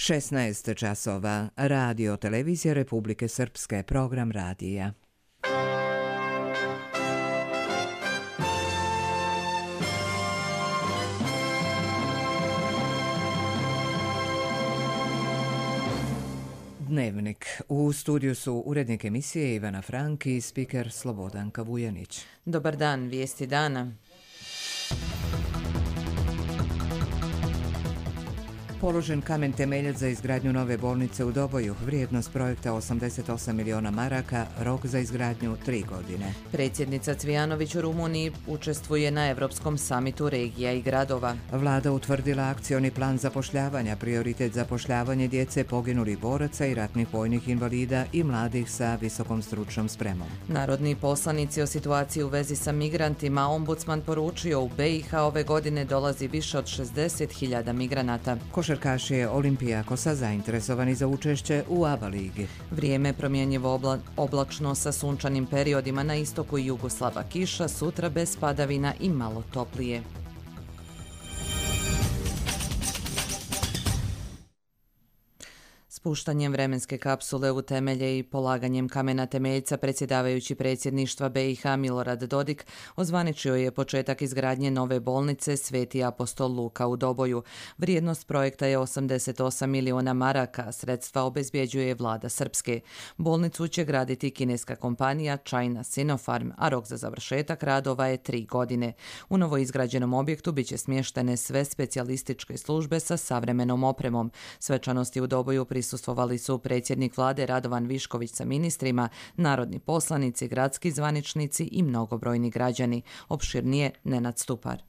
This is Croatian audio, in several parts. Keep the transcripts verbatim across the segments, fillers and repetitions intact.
šesnaest časova. Radio Televizija Republike Srpske, program radija. Dnevnik. U studiju su urednik emisije Ivana Frank i spiker Slobodanka Vujanić. Dobar dan, vijesti dana. Položen kamen temeljac za izgradnju nove bolnice u Doboju, vrijednost projekta osamdeset osam miliona maraka, rok za izgradnju tri godine. Predsjednica Cvijanović u Rumuniji učestvuje na Europskom samitu regija i gradova. Vlada utvrdila akcioni plan zapošljavanja, prioritet zapošljavanje djece poginulih boraca i ratnih vojnih invalida i mladih sa visokom stručnom spremom. Narodni poslanici o situaciji u vezi sa migrantima, ombudsman poručio u be i ha ove godine dolazi više od šezdeset hiljada migranata. Košarkaši Olimpijakosa zainteresovani za učešće u A B A ligi. Vrijeme promjenjivo obla, oblačno sa sunčanim periodima na istoku i jugu slaba kiša, sutra bez padavina i malo toplije. Spuštanjem vremenske kapsule u temelje i polaganjem kamena temeljca predsjedavajući predsjedništva be i ha Milorad Dodik ozvaničio je početak izgradnje nove bolnice Sveti apostol Luka u Doboju. Vrijednost projekta je osamdeset osam miliona maraka, sredstva obezbjeđuje vlada Srpske. Bolnicu će graditi kineska kompanija China Sinopharm, a rok za završetak radova je tri godine. U novoizgrađenom objektu biće smještene sve specijalističke službe sa savremenom opremom. Svečanosti u Doboju prisustvovali su predsjednik vlade Radovan Višković sa ministrima, narodni poslanici, gradski zvaničnici i mnogobrojni građani. Opširnije Nenad Stupar.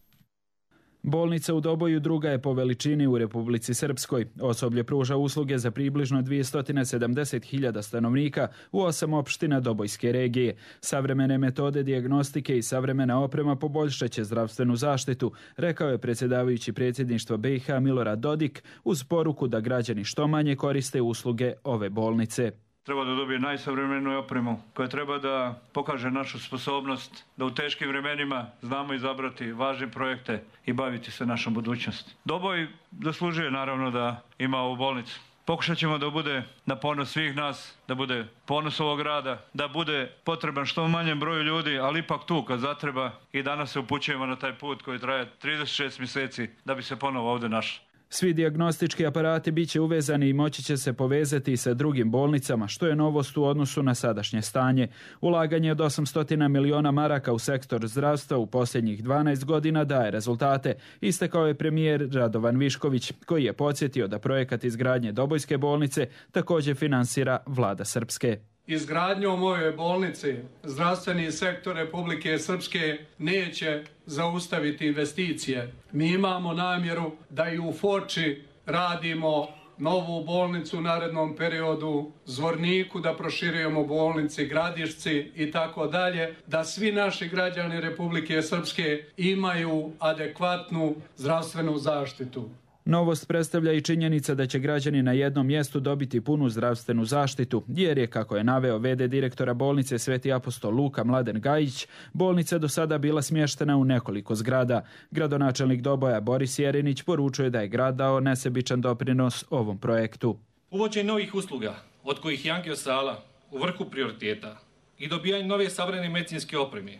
Bolnica u Doboju druga je po veličini u Republici Srpskoj. Osoblje pruža usluge za približno dvjesto sedamdeset hiljada stanovnika u osam opština Dobojske regije. Savremene metode dijagnostike i savremena oprema poboljšat će zdravstvenu zaštitu, rekao je predsjedavajući predsjedništva be i ha Milorad Dodik uz poruku da građani što manje koriste usluge ove bolnice. Treba da dobije najsavremeniju opremu koja treba da pokaže našu sposobnost da u teškim vremenima znamo izabrati važne projekte i baviti se našom budućnosti. Doboj zaslužuje naravno da ima ovu bolnicu. Pokušat ćemo da bude na ponos svih nas, da bude ponos ovog grada, da bude potreban što manjem broju ljudi, ali ipak tu kad zatreba i danas se upućujemo na taj put koji traje trideset šest mjeseci da bi se ponovo ovdje našli. Svi dijagnostički aparati bit će uvezani i moći će se povezati sa drugim bolnicama, što je novost u odnosu na sadašnje stanje. Ulaganje od osamsto miliona maraka u sektor zdravstva u posljednjih dvanaest godina daje rezultate, istakao je premijer Radovan Višković, koji je podsjetio da projekat izgradnje Dobojske bolnice također finansira vlada Srpske. Izgradnjom ove bolnice zdravstveni sektor Republike Srpske neće zaustaviti investicije. Mi imamo namjeru da i u Foči radimo novu bolnicu u narednom periodu, Zvorniku da proširujemo bolnici, Gradišci i tako dalje, da svi naši građani Republike Srpske imaju adekvatnu zdravstvenu zaštitu. Novost predstavlja i činjenica da će građani na jednom mjestu dobiti punu zdravstvenu zaštitu, jer je, kako je naveo ve de direktora bolnice Sveti apostol Luka Mladen Gajić, bolnica do sada bila smještena u nekoliko zgrada. Gradonačelnik Doboja Boris Jerinić poručuje da je grad dao nesebičan doprinos ovom projektu. Uvođenje novih usluga, od kojih je angiosala u vrhu prioriteta, i dobijanje nove savremene medicinske opreme,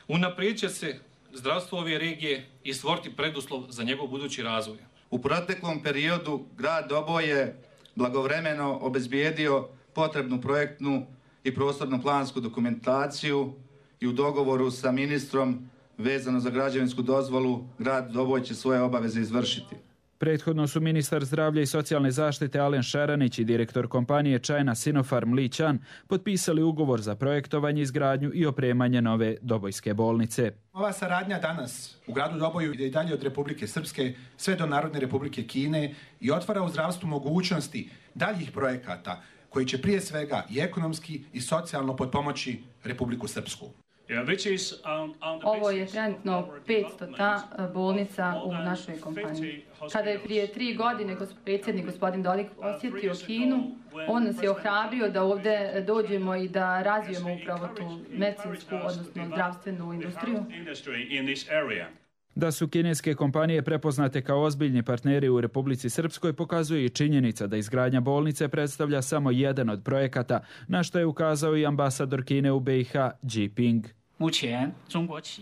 unaprijedit će se zdravstvo ove regije i stvoriti preduslov za njegov budući razvoj. U proteklom periodu grad Doboj je blagovremeno obezbijedio potrebnu projektnu i prostorno plansku dokumentaciju i u dogovoru sa ministrom vezano za građevinsku dozvolu grad Doboj će svoje obaveze izvršiti. Prethodno su ministar zdravlja i socijalne zaštite Alen Šaranić i direktor kompanije China Sinopharm Li Chan potpisali ugovor za projektovanje, izgradnju i opremanje nove Dobojske bolnice. Ova saradnja danas u gradu Doboju ide i dalje od Republike Srpske sve do Narodne Republike Kine i otvara u zdravstvu mogućnosti daljih projekata koji će prije svega i ekonomski i socijalno potpomoći Republiku Srpsku. Ovo je trenutno petstota bolnica u našoj kompaniji. Kada je prije tri godine predsjednik gospodin Dodik posjetio Kinu, on nas je ohrabrio da ovdje dođemo i da razvijemo upravo tu medicinsku, odnosno zdravstvenu industriju. Da su kineske kompanije prepoznate kao ozbiljni partneri u Republici Srpskoj pokazuje i činjenica da izgradnja bolnice predstavlja samo jedan od projekata, na što je ukazao i ambasador Kine u B i H Ji Ping.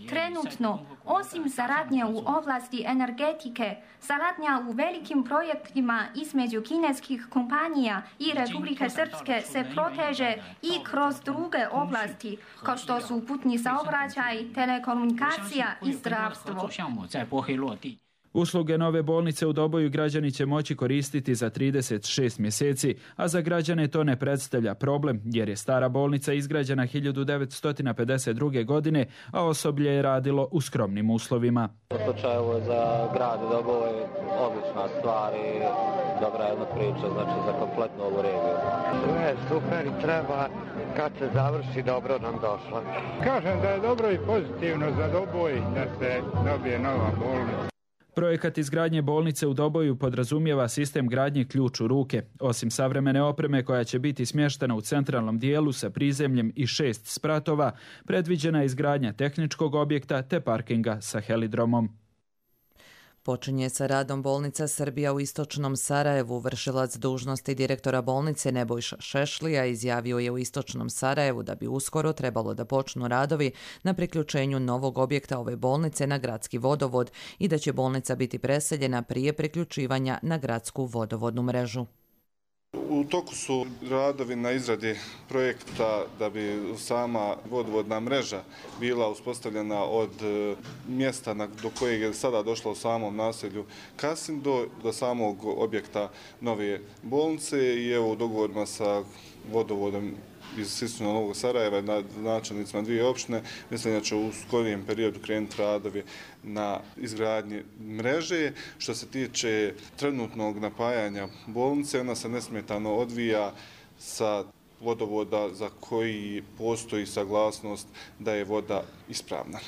Trenutno, osim saradnje u oblasti energetike, saradnja u velikim projektima između kineskih kompanija i Republike Srpske se proteže i kroz druge oblasti, kao što su putni saobraćaj, telekomunikacija i zdravstvo. Usluge nove bolnice u Doboju građani će moći koristiti za trideset šest mjeseci, a za građane to ne predstavlja problem, jer je stara bolnica izgrađena hiljadu devetsto pedeset druge. godine, a osoblje je radilo u skromnim uslovima. U slučaju za grad Dobovo je odlična stvar i dobra jedna priča, znači za kompletnu ovu regiju. Sve je super i treba kad se završi dobro nam došla. Kažem da je dobro i pozitivno za Doboj da se dobije nova bolnica. Projekat izgradnje bolnice u Doboju podrazumijeva sistem gradnje ključ u ruke. Osim savremene opreme koja će biti smještena u centralnom dijelu sa prizemljem i šest spratova, predviđena je izgradnja tehničkog objekta te parkinga sa helidromom. Počinje sa radom bolnica Srbija u istočnom Sarajevu. Vršilac dužnosti direktora bolnice Nebojša Šešlija izjavio je u istočnom Sarajevu da bi uskoro trebalo da počnu radovi na priključenju novog objekta ove bolnice na gradski vodovod i da će bolnica biti preseljena prije priključivanja na gradsku vodovodnu mrežu. U toku su radovi na izradi projekta da bi sama vodovodna mreža bila uspostavljena od mjesta do kojeg je sada došla u samom naselju Kasim do, do samog objekta nove bolnice i evo u dogovorima sa vodovodom iz Sistuna Novog Sarajeva na načelnicima dvije opštine, mislim da će u skorijem periodu krenuti radovi na izgradnji mreže. Što se tiče trenutnog napajanja bolnice, ona se nesmetano odvija sa vodovoda za koji postoji saglasnost da je voda ispravna.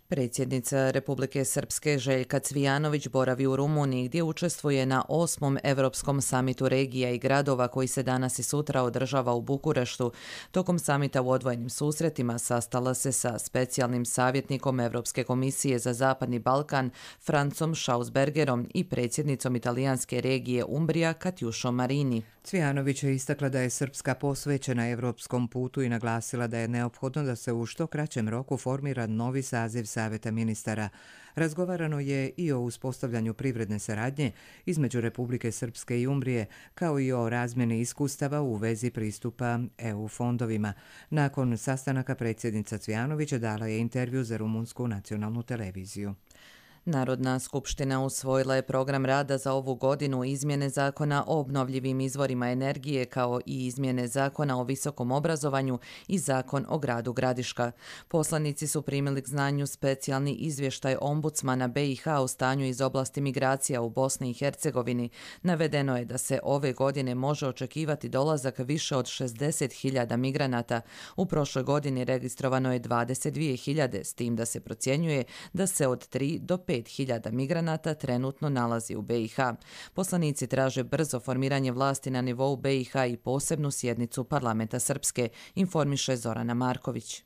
Predsjednica Republike Srpske Željka Cvijanović boravi u Rumuniji gdje učestvuje na osmom Evropskom samitu regija i gradova koji se danas i sutra održava u Bukureštu. Tokom samita u odvojenim susretima sastala se sa specijalnim savjetnikom Evropske komisije za Zapadni Balkan Francom Schausbergerom i predsjednicom italijanske regije Umbrija Katjušom Marini. Cvijanović je istakla da je Srpska posvećena evropskom putu i naglasila da je neophodno da se u što kraćem roku formira novi saziv Saveta ministara. Razgovarano je i o uspostavljanju privredne saradnje između Republike Srpske i Umbrije, kao i o razmjeni iskustava u vezi pristupa E U fondovima. Nakon sastanaka predsjednica Cvijanovića dala je intervju za rumunsku nacionalnu televiziju. Narodna skupština usvojila je program rada za ovu godinu, izmjene zakona o obnovljivim izvorima energije kao i izmjene zakona o visokom obrazovanju i zakon o gradu Gradiška. Poslanici su primili k znanju specijalni izvještaj ombudsmana B i H o stanju iz oblasti migracija u Bosni i Hercegovini. Navedeno je da se ove godine može očekivati dolazak više od šezdeset hiljada migranata. U prošloj godini registrovano je dvadeset dvije hiljade, s tim da se procjenjuje da se od tri do pet hiljada migranata trenutno nalazi u B i H. Poslanici traže brzo formiranje vlasti na nivou B i H i posebnu sjednicu parlamenta Srpske, informiše Zorana Marković.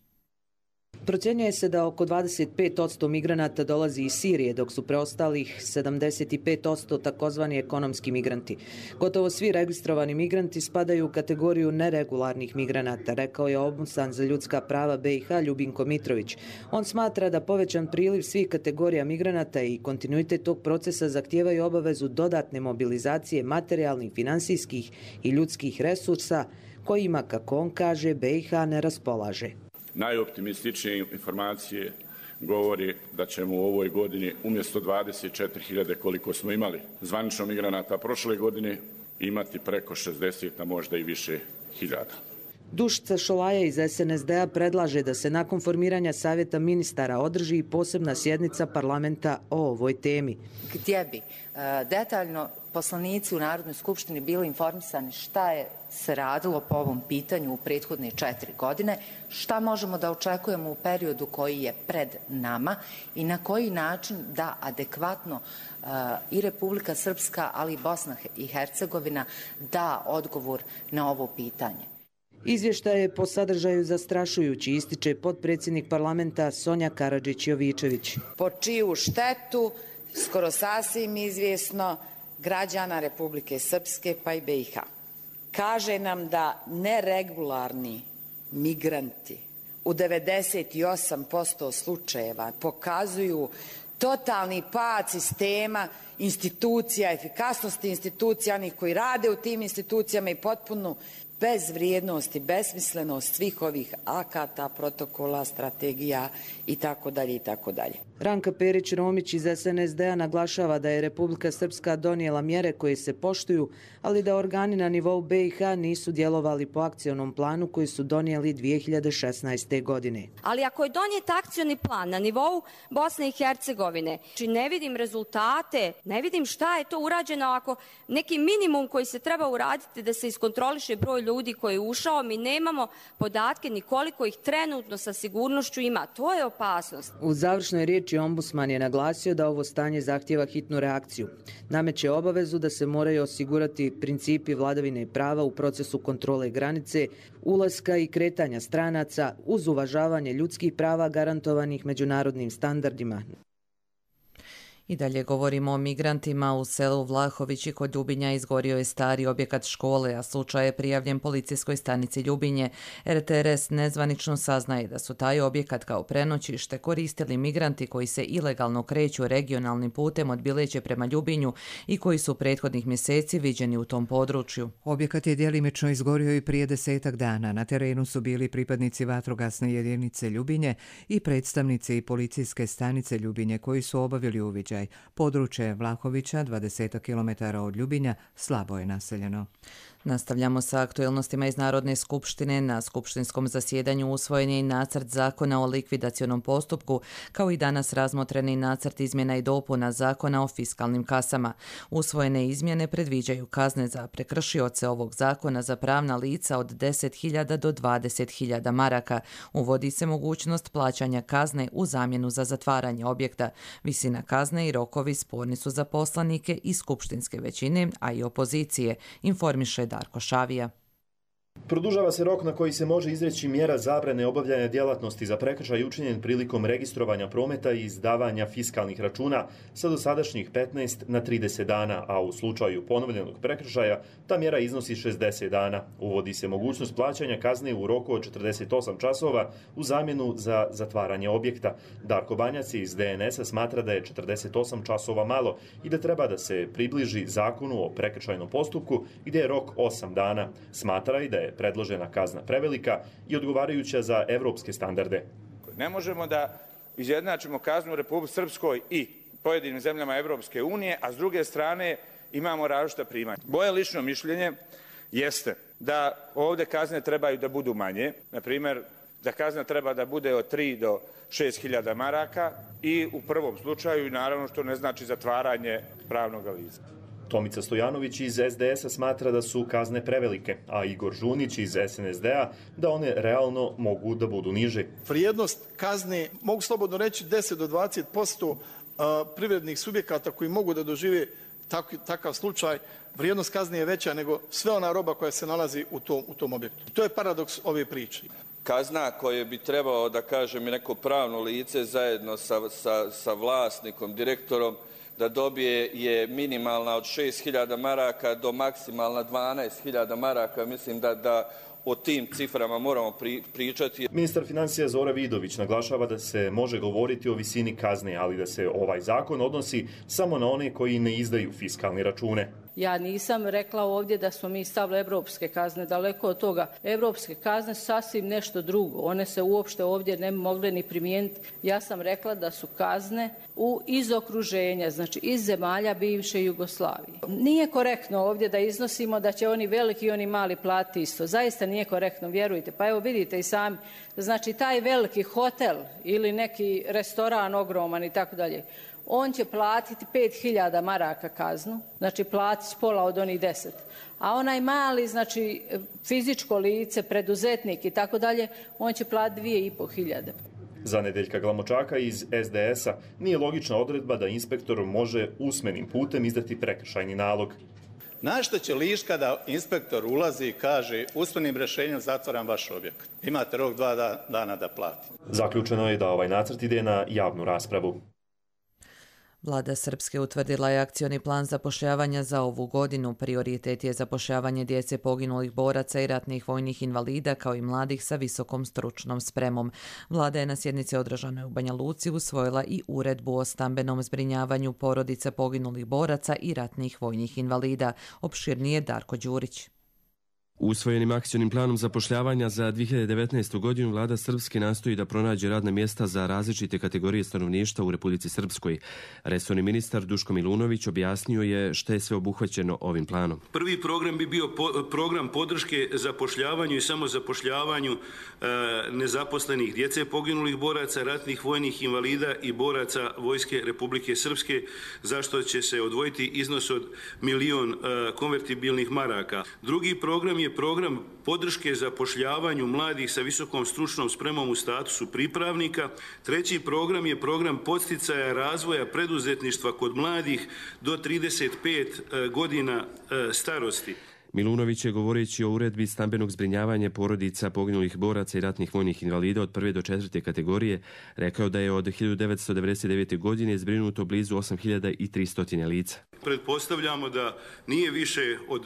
Procjenjuje se da oko dvadeset pet posto migranata dolazi iz Sirije, dok su preostalih sedamdeset pet posto takozvani ekonomski migranti. Gotovo svi registrovani migranti spadaju u kategoriju neregularnih migranata, rekao je ombudsman za ljudska prava B i H Ljubinko Mitrović. On smatra da povećan priliv svih kategorija migranata i kontinuitet tog procesa zahtijevaju obavezu dodatne mobilizacije materijalnih, finansijskih i ljudskih resursa kojima, kako on kaže, B i H ne raspolaže. Najoptimističnije informacije govori da ćemo u ovoj godini umjesto dvadeset četiri hiljade koliko smo imali zvanično migranata prošle godine imati preko šezdeset, a možda i više hiljada. Dušica Šolaja iz S N S D-a predlaže da se nakon formiranja Savjeta ministara održi posebna sjednica parlamenta o ovoj temi. Gdje bi detaljno poslanici u Narodnoj skupštini bili informisani šta je se radilo po ovom pitanju u prethodne četiri godine, šta možemo da očekujemo u periodu koji je pred nama i na koji način da adekvatno i Republika Srpska, ali i Bosna i Hercegovina da odgovor na ovo pitanje. Izvještaj je po sadržaju zastrašujući, ističe potpredsjednik parlamenta Sonja Karadžić-Jovičević. Po čiju štetu, skoro sasvim izvjesno, građana Republike Srpske pa i B i H. Kaže nam da neregularni migranti u devedeset osam posto slučajeva pokazuju totalni pad sistema, institucija, efikasnosti institucija, onih koji rade u tim institucijama i potpunu bezvrijednost i besmislenost svih ovih akata, protokola, strategija i tako dalje i tako dalje. Ranka Perić-Romić iz S N S D-a naglašava da je Republika Srpska donijela mjere koje se poštuju, ali da organi na nivou B i H nisu djelovali po akcionom planu koji su donijeli dvije hiljade šesnaeste. godine. Ali ako je donijet akcioni plan na nivou Bosne i Hercegovine, či ne vidim rezultate, ne vidim šta je to urađeno, ako neki minimum koji se treba uraditi da se iskontroliše broj ljudi koji je ušao, mi nemamo podatke ni koliko ih trenutno sa sigurnošću ima. To je opasnost. U završnoj riječi ombudsman je naglasio da ovo stanje zahtijeva hitnu reakciju. Nameće obavezu da se moraju osigurati principi vladavine prava u procesu kontrole granice, ulaska i kretanja stranaca uz uvažavanje ljudskih prava garantovanih međunarodnim standardima. I dalje govorimo o migrantima. U selu Vlahovići kod Ljubinja izgorio je stari objekat škole, a slučaj je prijavljen policijskoj stanici Ljubinje. R T R S nezvanično saznaje da su taj objekat kao prenoćište koristili migranti koji se ilegalno kreću regionalnim putem od Bileće prema Ljubinju i koji su prethodnih mjeseci viđeni u tom području. Objekat je djelimično izgorio i prije desetak dana. Na terenu su bili pripadnici vatrogasne jedinice Ljubinje i predstavnici policijske stanice Ljubinje koji su obavili uviđaj. Područje Vlahovića, dvadeset kilometara od Ljubinja, slabo je naseljeno. Nastavljamo sa aktuelnostima iz Narodne skupštine. Na skupštinskom zasjedanju usvojen je i nacrt zakona o likvidacionom postupku, kao i danas razmotreni nacrt izmjena i dopuna zakona o fiskalnim kasama. Usvojene izmjene predviđaju kazne za prekršioce ovog zakona za pravna lica od deset hiljada do dvadeset hiljada maraka. Uvodi se mogućnost plaćanja kazne u zamjenu za zatvaranje objekta. Visina kazne i rokovi sporni su za poslanike i skupštinske većine, a i opozicije, informiše Darko Šavija. Produžava se rok na koji se može izreći mjera zabrane obavljanja djelatnosti za prekršaj učinjen prilikom registrovanja prometa i izdavanja fiskalnih računa sa dosadašnjih petnaest na trideset dana, a u slučaju ponovljenog prekršaja ta mjera iznosi šezdeset dana. Uvodi se mogućnost plaćanja kazne u roku od četrdeset osam časova u zamjenu za zatvaranje objekta. Darko Banjac iz D N S-a smatra da je četrdeset osam časova malo i da treba da se približi zakonu o prekršajnom postupku gdje je rok osam dana. Smatra i da je predložena kazna prevelika i odgovarajuća za evropske standarde. Ne možemo da izjednačimo kaznu u Republici Srpskoj i pojedinim zemljama Evropske unije, a s druge strane imamo različita primanja. Moje lično mišljenje jeste da ovdje kazne trebaju da budu manje, na primjer da kazna treba da bude od tri do šest hiljada maraka i u prvom slučaju, naravno što ne znači zatvaranje pravnog lica. Tomica Stojanović iz S D S-a smatra da su kazne prevelike, a Igor Žunić iz S N S D-a da one realno mogu da budu niže. Vrijednost kazne, mogu slobodno reći, deset do dvadeset posto privrednih subjekata koji mogu da dožive takav slučaj, vrijednost kazne je veća nego sve ona roba koja se nalazi u tom, u tom objektu. To je paradoks ove priče. Kazna koje bi trebao, da kažem, i neko pravno lice zajedno sa, sa, sa vlasnikom, direktorom, da dobije je minimalna od šest hiljada maraka do maksimalna dvanaest hiljada maraka. Mislim da, da o tim ciframa moramo pri, pričati. Ministar financija Zora Vidović naglašava da se može govoriti o visini kazne, ali da se ovaj zakon odnosi samo na one koji ne izdaju fiskalne račune. Ja nisam rekla ovdje da smo mi stavili evropske kazne, daleko od toga. Evropske kazne su sasvim nešto drugo. One se uopšte ovdje ne mogle ni primijeniti. Ja sam rekla da su kazne u, iz okruženja, znači iz zemalja bivše Jugoslavije. Nije korektno ovdje da iznosimo da će oni veliki i oni mali platiti isto. Zaista nije korektno, vjerujte. Pa evo vidite i sami. Znači taj veliki hotel ili neki restoran ogroman i tako dalje, on će platiti pet hiljada maraka kaznu, znači platiti pola od onih deset. A onaj mali, znači fizičko lice, preduzetnik i tako dalje, on će platiti dvije i pol hiljade. Za Nedeljka Glamočaka iz S D S-a nije logična odredba da inspektor može usmenim putem izdati prekršajni nalog. Na što će Liška da inspektor ulazi i kaže usmenim rješenjem zatvaram vaš objekat. Imate rok dva dana da platite. Zaključeno je da ovaj nacrt ide na javnu raspravu. Vlada Srpske utvrdila je akcioni plan zapošljavanja za ovu godinu. Prioritet je zapošljavanje djece poginulih boraca i ratnih vojnih invalida kao i mladih sa visokom stručnom spremom. Vlada je na sjednici održanoj u Banja Luci usvojila i uredbu o stambenom zbrinjavanju porodica poginulih boraca i ratnih vojnih invalida. Opširnije Darko Đurić. Usvojenim akcionim planom zapošljavanja za dvije hiljade devetnaestu. godinu vlada Srpske nastoji da pronađe radna mjesta za različite kategorije stanovništva u Republici Srpskoj. Resorni ministar Duško Milunović objasnio je što je sve obuhvaćeno ovim planom. Prvi program bi bio po, program podrške zapošljavanju i samozapošljavanju e, nezaposlenih djece poginulih boraca, ratnih vojnih invalida i boraca Vojske Republike Srpske, zašto će se odvojiti iznos od milion e, konvertibilnih maraka. Drugi program je program podrške zapošljavanju mladih sa visokom stručnom spremom u statusu pripravnika. Treći program je program podsticaja razvoja preduzetništva kod mladih do trideset pet godina starosti. Milunović je, govoreći o uredbi stambenog zbrinjavanja porodica poginulih boraca i ratnih vojnih invalida od prve do četvrte kategorije, rekao da je od hiljadu devetsto devedeset devete. godine zbrinuto blizu osam hiljada tristo lica. Pretpostavljamo da nije više od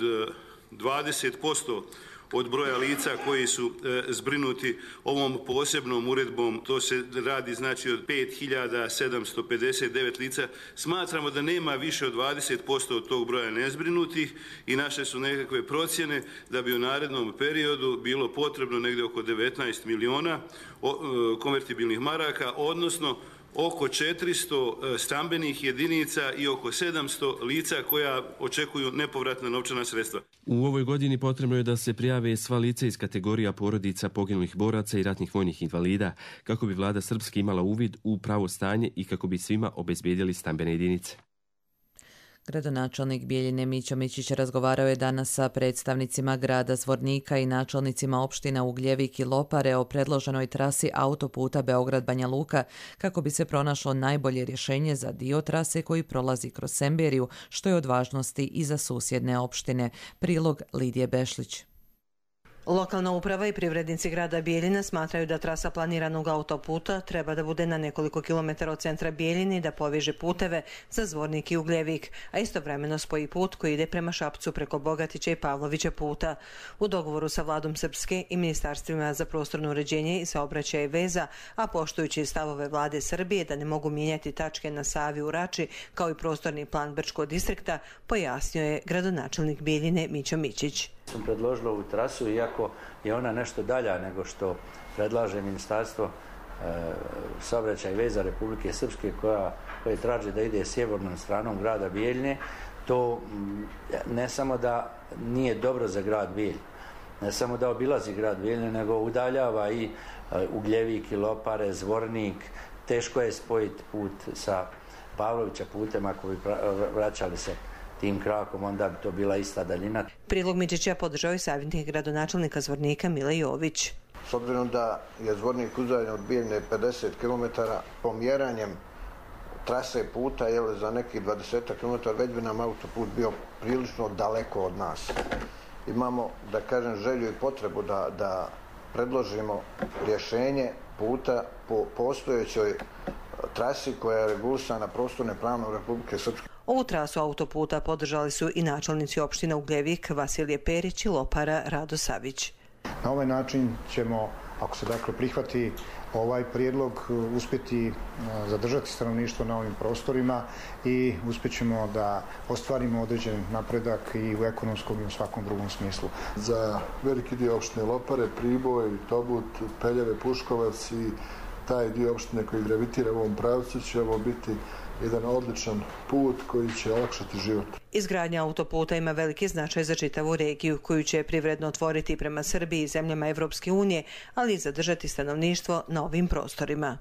dvadeset posto od broja lica koji su e, zbrinuti ovom posebnom uredbom. To se radi znači od pet hiljada sedamsto pedeset devet lica. Smatramo da nema više od dvadeset posto od tog broja nezbrinutih i naše su nekakve procjene da bi u narednom periodu bilo potrebno negdje oko devetnaest miliona o, e, konvertibilnih maraka, odnosno oko četiristo stambenih jedinica i oko sedamsto lica koja očekuju nepovratna novčana sredstva. U ovoj godini potrebno je da se prijave sva lica iz kategorija porodica poginulih boraca i ratnih vojnih invalida, kako bi vlada Srpske imala uvid u pravo stanje i kako bi svima obezbijedili stambene jedinice. Gradonačelnik Bijeljine Mićo Mićić razgovarao je danas sa predstavnicima grada Zvornika i načelnicima opština Ugljevik i Lopare o predloženoj trasi autoputa Beograd-Banja Luka kako bi se pronašlo najbolje rješenje za dio trase koji prolazi kroz Semberiju, što je od važnosti i za susjedne opštine. Prilog Lidije Bešlić. Lokalna uprava i privrednici grada Bijeljina smatraju da trasa planiranog autoputa treba da bude na nekoliko kilometara od centra Bijeljine i da poveže puteve za Zvornik i Ugljevik, a istovremeno spoji put koji ide prema Šapcu preko Bogatića i Pavlovića puta. U dogovoru sa vladom Srpske i ministarstvima za prostorno uređenje i saobraćaj i veza, a poštujući stavove vlade Srbije da ne mogu mijenjati tačke na Savi u Rači kao i prostorni plan Brčkog distrikta, pojasnio je gradonačelnik Bijeljine Mićo Mićić. Sam predložila ovu trasu, iako je ona nešto dalja nego što predlaže Ministarstvo e, saobraćaja i veza Republike Srpske koja, koja traži da ide sjevernom stranom grada Bijeljine. To ne samo da nije dobro za grad Bijelj, ne samo da obilazi grad Bijeljine, nego udaljava i e, Ugljevik i Lopare, Zvornik. Teško je spojiti put sa Pavlovića putem ako bi vraćali se tim krakom, onda bi to bila ista daljina. Prilog Mićića podržao i savjetnik gradonačelnika Zvornika Mile Jović. S obzirom da je Zvornik udaljen od Bijeljine pedeset kilometara, pomjeranjem trase puta je za nekih dvadeset kilometara već bi nam autoput bio prilično daleko od nas. Imamo, da kažem, želju i potrebu da, da predložimo rješenje puta po postojećoj trasi koja je regulisana prostornim planom Republike Srpske. Ovu trasu autoputa podržali su i načelnici opština Ugljevik Vasilije Perić i Lopara Rado Savić. Na ovaj način ćemo, ako se dakle prihvati ovaj prijedlog, uspjeti zadržati stanovništvo na ovim prostorima i uspjećemo da ostvarimo određen napredak i u ekonomskom i u svakom drugom smislu. Za veliki dio opštine Lopare, Priboj, Tobut, Peljeve, Puškovac i taj dio opštine koji gravitira u ovom pravcu će ovo biti jedan odličan put koji će olakšati život. Izgradnja autoputa ima veliki značaj za čitavu regiju koju će privredno otvoriti prema Srbiji i zemljama Evropske unije, ali i zadržati stanovništvo na ovim prostorima.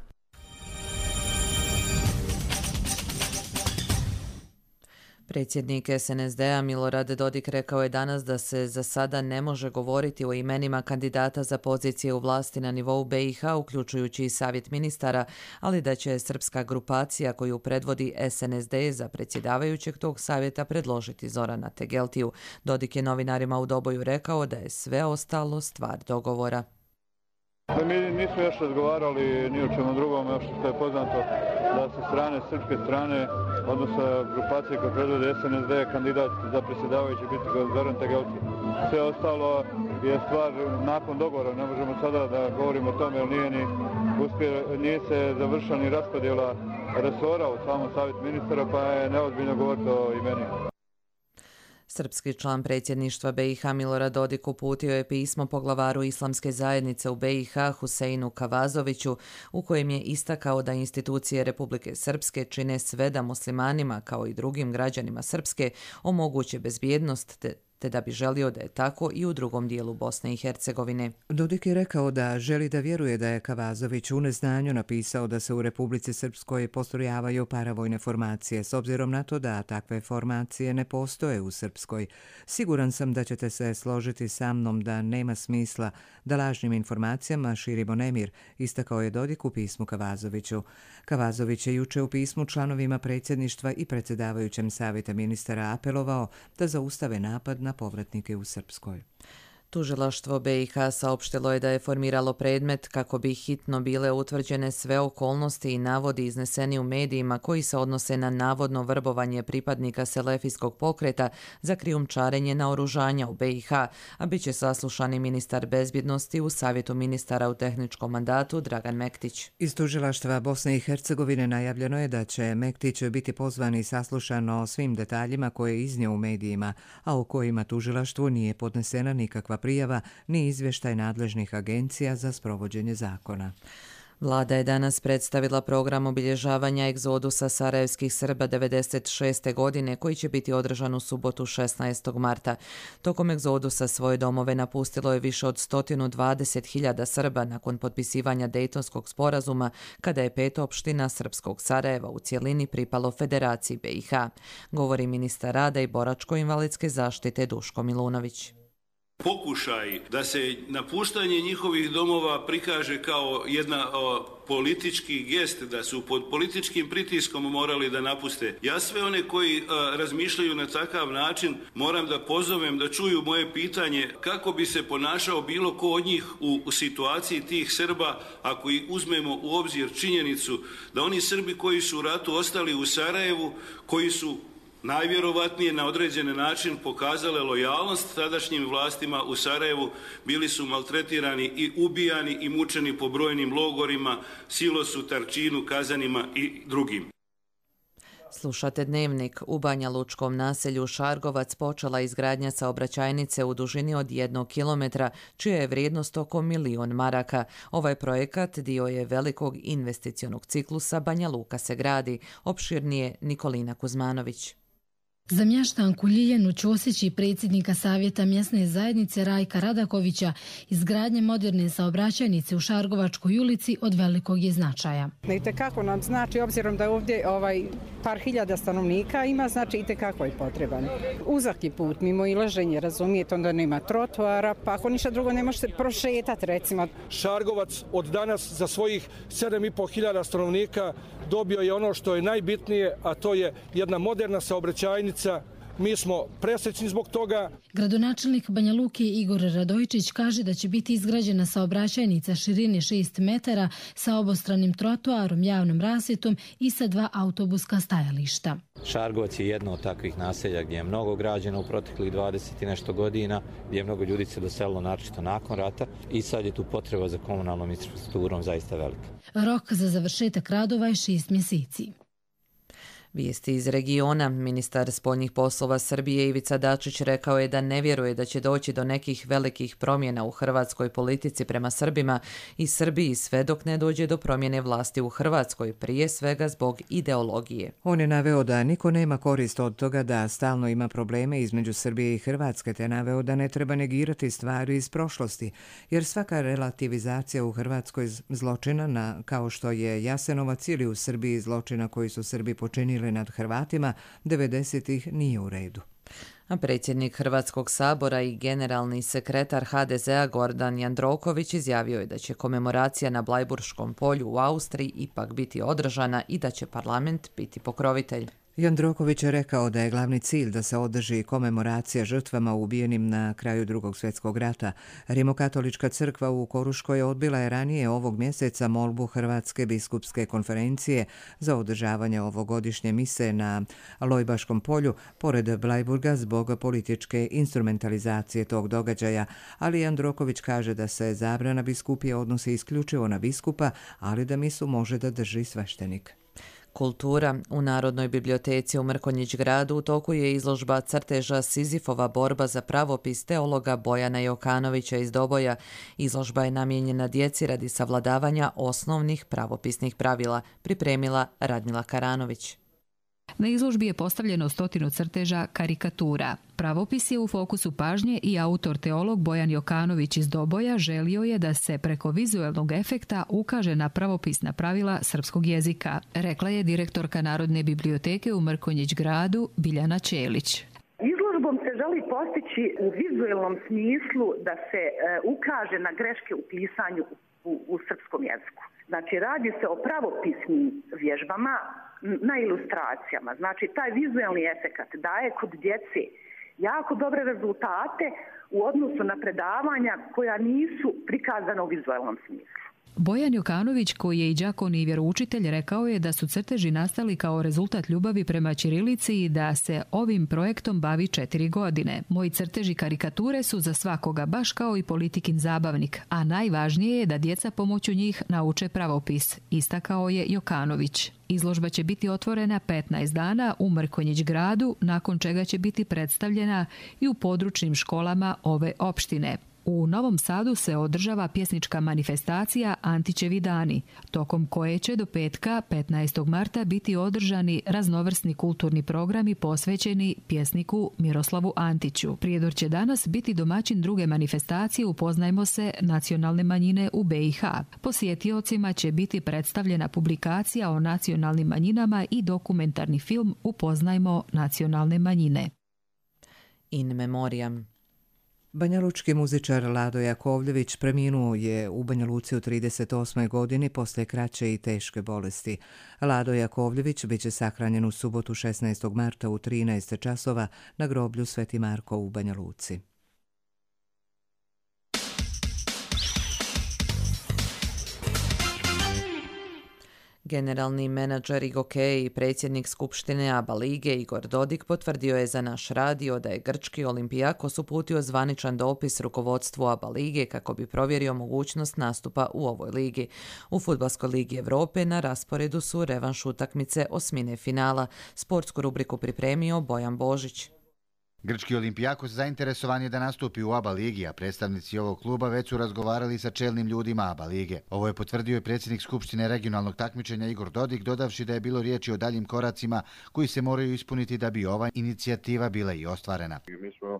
Predsjednik S N S D-a Milorad Dodik rekao je danas da se za sada ne može govoriti o imenima kandidata za pozicije u vlasti na nivou B i H, uključujući i savjet ministara, ali da će srpska grupacija koju predvodi S N S D za predsjedavajućeg tog savjeta predložiti Zorana Tegeltiju. Dodik je novinarima u Doboju rekao da je sve ostalo stvar dogovora. Mi nismo još razgovarali ni o čemu drugom, još što je poznato da sa strane, srpske strane, odnosno grupacije koje predvode S N S D, kandidat za predsjedavajući biti Zoran Tegelti. Sve ostalo je stvar nakon dogovora, ne možemo sada da govorimo o tome, jer nije, ni uspje, nije se završila ni raspodjela resora u samom savjetu ministara, pa je neozbiljno govoriti o imenima. Srpski član predsjedništva B i H Milorad Dodik uputio je pismo poglavaru islamske zajednice u B i H Huseinu Kavazoviću, u kojem je istakao da institucije Republike Srpske čine sve da muslimanima, kao i drugim građanima Srpske, omoguće bezbjednost te te da bi želio da je tako i u drugom dijelu Bosne i Hercegovine. Dodik je rekao da želi da vjeruje da je Kavazović u neznanju napisao da se u Republici Srpskoj postrojavaju paravojne formacije, s obzirom na to da takve formacije ne postoje u Srpskoj. Siguran sam da ćete se složiti sa mnom da nema smisla da lažnim informacijama širimo nemir, istakao je Dodik u pismu Kavazoviću. Kavazović je juče u pismu članovima predsjedništva i predsjedavajućem savjeta ministara apelovao da zaustave napad na povratnike u Srpskoj. Tužilaštvo B i H saopštilo je da je formiralo predmet kako bi hitno bile utvrđene sve okolnosti i navodi izneseni u medijima koji se odnose na navodno vrbovanje pripadnika selefijskog pokreta za krijumčarenje naoružanja u B i H, a bit će saslušani ministar bezbjednosti u savjetu ministara u tehničkom mandatu Dragan Mektić. Iz tužilaštva Bosne i Hercegovine najavljeno je da će Mektić biti pozvan i saslušan o svim detaljima koje je iznio u medijima, a u kojima tužilaštvu nije podnesena nikakva prijava ni izvještaj nadležnih agencija za sprovođenje zakona. Vlada je danas predstavila program obilježavanja egzodusa sarajevskih Srba devedeset šeste. godine koji će biti održan u subotu šesnaestog marta. Tokom egzodusa svoje domove napustilo je više od sto dvadeset hiljada Srba nakon potpisivanja Dejtonskog sporazuma, kada je pet opština srpskog Sarajeva u cjelini pripalo Federaciji B i H. Govori ministar rada i boračko-invalidske zaštite Duško Milunović. Pokušaj da se napuštanje njihovih domova prikaže kao jedna o, politički gest, da su pod političkim pritiskom morali da napuste. Ja sve one koji a, razmišljaju na takav način moram da pozovem da čuju moje pitanje kako bi se ponašao bilo ko od njih u, u situaciji tih Srba, ako i uzmemo u obzir činjenicu da oni Srbi koji su u ratu ostali u Sarajevu, koji su najvjerovatnije na određeni način pokazale lojalnost tadašnjim vlastima u Sarajevu, bili su maltretirani i ubijani i mučeni po brojnim logorima, Silosu, Tarčinu, Kazanima i drugim. Slušate Dnevnik. U Banja Lučkom naselju Šargovac počela izgradnja saobraćajnice u dužini od jednog kilometra, čija je vrijednost oko milion maraka. Ovaj projekat dio je velikog investicionog ciklusa Banja Luka se gradi. Opširnije Nikolina Kuzmanović. Za mještanku Ljiljanu Ćosić i predsjednika Savjeta mjesne zajednice Rajka Radakovića izgradnja moderne saobraćajnice u Šargovačkoj ulici od velikog je značaja. Itekako nam znači, obzirom da ovdje ovaj par hiljada stanovnika ima, znači itekako je potreban. Uzak je put, mimo ilaženje, razumijete, onda nema trotoara, pa ako ništa drugo ne možete prošetati, recimo. Šargovac od danas za svojih sedam i po hiljada stanovnika dobio je ono što je najbitnije, a to je jedna moderna saobraćajnica. Mi smo presrećni zbog toga. Gradonačelnik Banja Luke Igor Radojčić kaže da će biti izgrađena saobraćajnica širine šest metara sa obostranim trotoarom, javnom rasvjetom i sa dva autobuska stajališta. Šargovac je jedno od takvih naselja gdje je mnogo građeno u proteklih dvadeset i nešto godina, gdje je mnogo ljudi se doselilo naročito nakon rata i sad je tu potreba za komunalnom infrastrukturom zaista velika. Rok za završetak radova je šest mjeseci. Vijesti iz regiona. Ministar spoljnih poslova Srbije Ivica Dačić rekao je da ne vjeruje da će doći do nekih velikih promjena u hrvatskoj politici prema Srbima i Srbiji sve dok ne dođe do promjene vlasti u Hrvatskoj, prije svega zbog ideologije. On je naveo da niko nema korist od toga da stalno ima probleme između Srbije i Hrvatske, te naveo da ne treba negirati stvari iz prošlosti, jer svaka relativizacija u Hrvatskoj zločina, na, kao što je Jasenovac, ili u Srbiji zločina koji su Srbi počinili, slomili nad Hrvatima, devedesetih nije u redu. A predsjednik Hrvatskog sabora i generalni sekretar ha de zea Gordan Jandroković izjavio je da će komemoracija na Blajburškom polju u Austriji ipak biti održana i da će parlament biti pokrovitelj. Jandroković je rekao da je glavni cilj da se održi komemoracija žrtvama ubijenim na kraju Drugog svjetskog rata. Rimokatolička crkva u Koruškoj odbila je ranije ovog mjeseca molbu Hrvatske biskupske konferencije za održavanje ovogodišnje mise na Lojbaškom polju pored Blajburga zbog političke instrumentalizacije tog događaja, ali Jandroković kaže da se zabrana biskupije odnosi isključivo na biskupa, ali da misu može da drži sveštenik. Kultura. U Narodnoj biblioteci u Mrkonjić gradu u toku je izložba crteža Sizifova borba za pravopis teologa Bojana Jokanovića iz Doboja. Izložba je namijenjena djeci radi savladavanja osnovnih pravopisnih pravila, pripremila Radmila Karanović. Na izložbi je postavljeno stotinu crteža karikatura. Pravopis je u fokusu pažnje i autor teolog Bojan Jokanović iz Doboja želio je da se preko vizuelnog efekta ukaže na pravopisna pravila srpskog jezika, rekla je direktorka Narodne biblioteke u Mrkonjić gradu Biljana Ćelić. Izložbom se želi postići u vizuelnom smislu da se e, ukaže na greške u pisanju u, u srpskom jeziku. Znači, radi se o pravopisnim vježbama na ilustracijama. Znači, taj vizuelni efekat daje kod djece jako dobre rezultate u odnosu na predavanja koja nisu prikazana u vizuelnom smislu. Bojan Jokanović, koji je i đakon i vjeroučitelj, rekao je da su crteži nastali kao rezultat ljubavi prema ćirilici i da se ovim projektom bavi četiri godine. Moji crteži karikature su za svakoga, baš kao i politikin zabavnik, a najvažnije je da djeca pomoću njih nauče pravopis, istakao je Jokanović. Izložba će biti otvorena petnaest dana u Mrkonjić gradu, nakon čega će biti predstavljena i u područnim školama ove opštine. U Novom Sadu se održava pjesnička manifestacija Antićevi dani, tokom koje će do petka petnaestog marta biti održani raznovrsni kulturni programi posvećeni pjesniku Miroslavu Antiću. Prijedor će danas biti domaćin druge manifestacije Upoznajmo se nacionalne manjine u be i ha. Posjetiocima će biti predstavljena publikacija o nacionalnim manjinama i dokumentarni film Upoznajmo nacionalne manjine. In memoriam. Banjalučki muzičar Lado Jakovljević preminuo je u Banja Luci u trideset osmoj godini poslije kraće i teške bolesti. Lado Jakovljević bit će sahranjen u subotu šesnaestog marta u trinaest časova na groblju Sveti Marko u Banja Luci. Generalni menadžer Igoke i predsjednik Skupštine ABA lige Igor Dodik potvrdio je za naš radio da je grčki Olimpijakos uputio zvaničan dopis rukovodstvu ABA lige kako bi provjerio mogućnost nastupa u ovoj ligi. U Fudbalskoj ligi Europe na rasporedu su revanš utakmice osmine finala. Sportsku rubriku pripremio Bojan Božić. Grčki Olimpijakos zainteresovan je da nastupi u ABA ligi, a predstavnici ovog kluba već su razgovarali sa čelnim ljudima ABA lige. Ovo je potvrdio i predsjednik Skupštine regionalnog takmičenja Igor Dodik, dodavši da je bilo riječi o daljim koracima koji se moraju ispuniti da bi ova inicijativa bila i ostvarena. Mi smo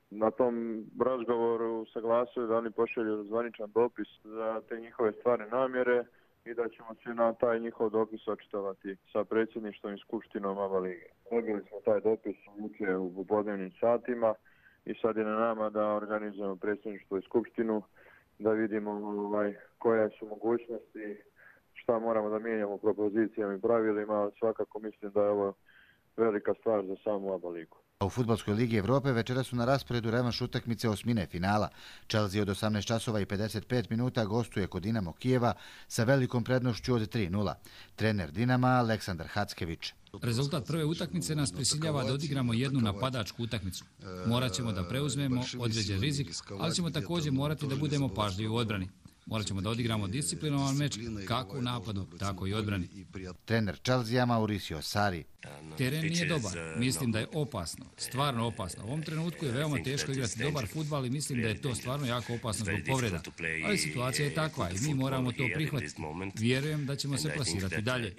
na tom razgovoru saglasili da oni pošalju zvaničan dopis za te njihove stvarne namjere i da ćemo se na taj njihov dopis očitovati sa predsjedništvom i skupštinom ABA lige. Dobili smo taj dopis jučer u popodnevnim satima i sad je na nama da organizujemo predsjedništvo i skupštinu, da vidimo ovaj, koje su mogućnosti, šta moramo da mijenjamo propozicijama i pravilima, ali svakako mislim da je ovo velika stvar za samu ABA ligu. U Fudbalskoj ligi Evrope večera su na rasporedu revanš utakmice osmine finala. Chelsea od osamnaest časova i pedeset pet minuta gostuje kod Dinamo Kijeva sa velikom prednošću od tri nula. Trener Dinama Aleksandar Hackević. Rezultat prve utakmice nas prisiljava da odigramo jednu napadačku utakmicu. Morat ćemo da preuzmemo određen rizik, ali ćemo također morati da budemo pažljivi u odbrani. Morat ćemo da odigramo disciplinovan meč kako u napadu, tako i odbrani. Trener Chelsea Mauricio Sarri. Teren nije dobar. Mislim da je opasno. Stvarno opasno. U ovom trenutku je veoma teško igrati dobar fudbal i mislim da je to stvarno jako opasno zbog povreda. Ali situacija je takva i mi moramo to prihvatiti. Vjerujem da ćemo se plasirati dalje.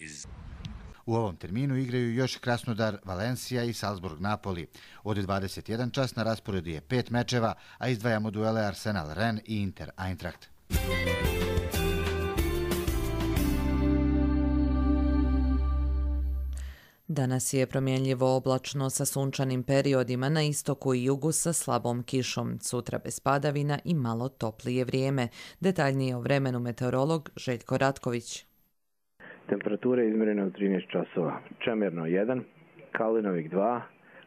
U ovom terminu igraju još Krasnodar, Valencija i Salzburg Napoli. Od dvadeset jedan čas na rasporedu je pet mečeva, a izdvajamo duele Arsenal Rennes i Inter Eintracht. Danas je promjenljivo oblačno sa sunčanim periodima na istoku i jugu sa slabom kišom. Sutra bez padavina i malo toplije vrijeme. Detaljnije o vremenu meteorolog Željko Ratković. Temperature izmjerene u trinaest časova. Čemerno jedan, Kalinovik dva,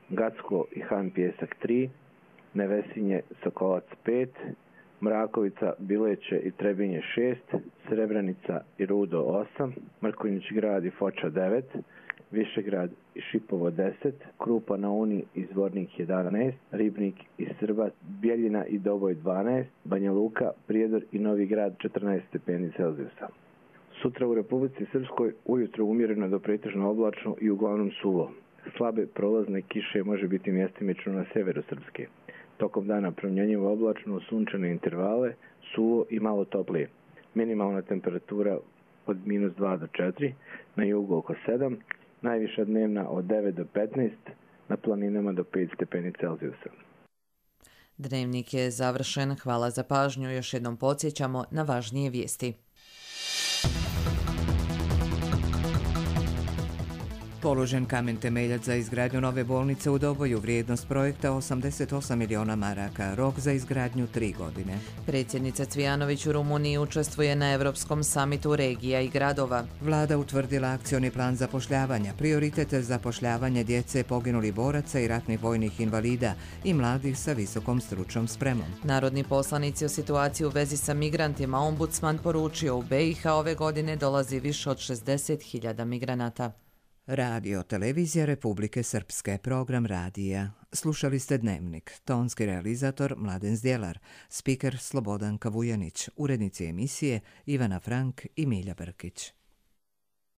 Gacko i Han Pjesak tri, Nevesinje Sokolac pet, Mrakovica, Bileće i Trebinje šest, Srebrenica i Rudo osam, Mrkonjić grad i Foča devet, Višegrad i Šipovo deset, Krupa na Uni i Zvornik jedanaest, Ribnik i Srbat, Bjeljina i Doboj dvanaest, Banja Luka, Prijedor i Novi Grad četrnaest stepeni Celzijusa. Sutra u Republici Srpskoj ujutro umjereno do pretežno oblačno i uglavnom suvo. Slabe prolazne kiše može biti mjestimično na severu Srpske. Tokom dana promjenjivo oblačno u sunčane intervale, suvo i malo toplije. Minimalna temperatura od minus dva do četiri, na jugu oko sedam, najviša dnevna od devet do petnaest, na planinama do pet stepeni Celzijusa. Dnevnik je završen. Hvala za pažnju. Još jednom podsjećamo na važnije vijesti. Položen kamen temeljac za izgradnju nove bolnice u Doboju, vrijednost projekta osamdeset osam miliona maraka, rok za izgradnju tri godine. Predsjednica Cvijanović u Rumuniji učestvuje na Europskom samitu regija i gradova. Vlada utvrdila akcioni plan zapošljavanja, prioritete zapošljavanja djece poginulih boraca i ratnih vojnih invalida i mladih sa visokom stručnom spremom. Narodni poslanici o situaciji u vezi sa migrantima ombudsman poručio u B i H ove godine dolazi više od šezdeset hiljada migranata. Radio Televizija Republike Srpske, program radija. Slušali ste Dnevnik, tonski realizator Mladen Zdjelar, spiker Slobodan Kavujanić, urednici emisije Ivana Frank i Milja Brkić.